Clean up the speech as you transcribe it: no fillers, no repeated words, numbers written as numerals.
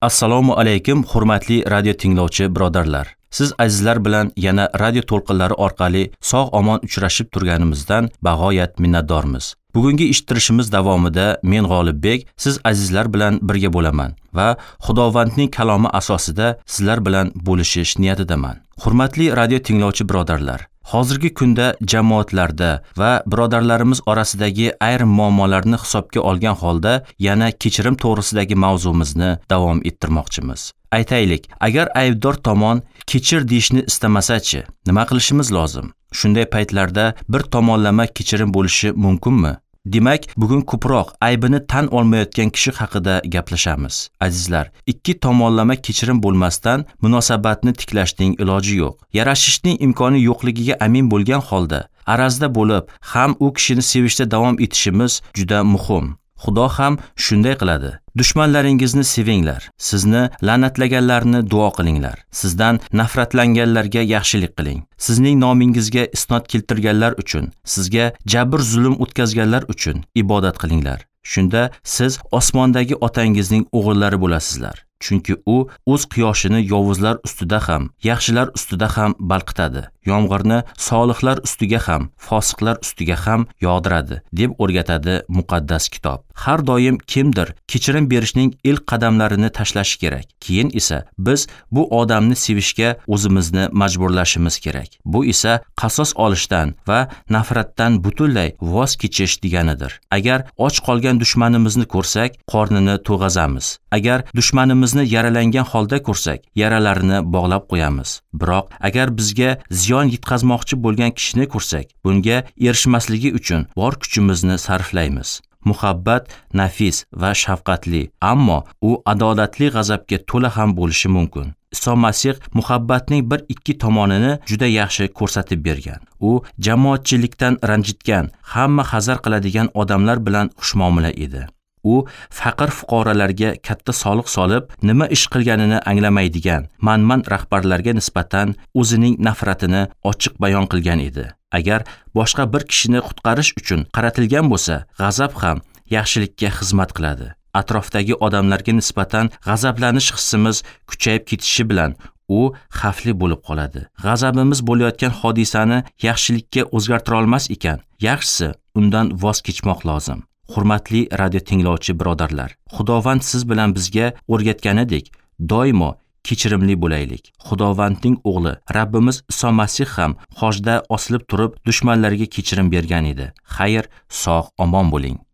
Assalomu alaykum, hurmatli radio tinglovchi birodarlar. Siz azizlar bilan yana radio to'lqinlari orqali sog' omon uchrashib turganimizdan bag'oyat minnatdormiz. Bugungi eshittirishimiz davomida men G'olibbek siz azizlar bilan birga bo'laman va Xudovandning kalomi asosida sizlar bilan bo'lishish niyatidaman. Hurmatli radio tinglovchi birodarlar, hozirgi kunda jamoatlarda va birodarlarimiz orasidagi ayrim muammolarni hisobga olgan holda yana kechirim to'g'risidagi mavzumizni davom ettirmoqchimiz. Aytaylik, agar aybdor tomon kechir deyishni istamasa-chi, nima qilishimiz lozim? Shunday paytlarda bir tomonlama kechirim bo'lishi mumkinmi? Demak, bugun ko'proq aybini tan olmayotgan kishi haqida gaplashamiz. Azizlar, ikki tomonlama kechirim bo'lmasdan munosabatni tiklashning iloji yo'q. Yarashishning imkoni yo'qligiga amin bo'lgan holda arazda bo'lib, ham u kishini sevishda davom etishimiz juda muhim. Xudo ham shunday qiladi. Dushmanlaringizni sevinglar, sizni la'natlaganlarni duo qilinglar, sizdan nafratlanganlarga yaxshilik qiling, sizning nomingizga isnod keltirganlar uchun, sizga jabr zulm o'tkazganlar uchun ibodat qilinglar. Shunda siz osmondagi otangizning o'g'illari bo'lasizlar. Chunki u o'z quyoshini yovuzlar ustida ham, yaxshilar ustida ham balqitadi. Yomg'irni solihlar ustiga ham, fosiqlar ustiga ham yog'diradi, deb o'rgatadi muqaddas kitob. Har doim kimdir kechirim berishning ilk qadamlarini tashlashi kerak. Keyin esa biz bu odamni sevishga o'zimizni majburlashimiz kerak. Bu esa qasos olishdan va nafratdan butunlay voz kechish deganidir. Agar och qolgan dushmanimizni ko'rsak, qornini to'g'azamiz. Agar dushmanimizni yaralangan holda ko'rsak, yaralarini bog'lab qo'yamiz. Biroq agar bizga ziyon yetkazmoqchi bo'lgan kishini ko'rsak, bunga erishmasligi uchun bor kuchimizni sarflaymiz. Muhabbat nafis va shafqatli, ammo u adolatli g'azabga to'la ham bo'lishi mumkin. Iso Masih muhabbatning bir ikki tomonini juda yaxshi ko'rsatib bergan. U jamoatchilikdan ranjitgan, hamma hazar qiladigan odamlar bilan xushmuomala edi. U faqir fuqarolarga katta soliq solib, nima ish qilganini anglamaydigan manman rahbarlarga nisbatan o'zining nafratini ochiq bayon qilgan edi. Agar boshqa bir kishini qutqarish uchun qaratilgan bo'lsa, g'azab ham yaxshilikka xizmat qiladi. Atrofdagi odamlarga nisbatan g'azablanish hissimiz kuchayib ketishi bilan u xavfli bo'lib qoladi. G'azabimiz bo'layotgan hodisani yaxshilikka o'zgartira olmas ekan, yaxshisi undan voz kechmoq lozim. Hurmatli radio tinglovchi birodarlar, Xudovand siz bilan bizga o'rgatganidek, doimo kechirimli bo'laylik. Xudovandning o'g'li Rabbimiz Iso Masih ham xochda osilib turib dushmanlariga kechirim bergan edi. Xayr, sog' omon bo'ling.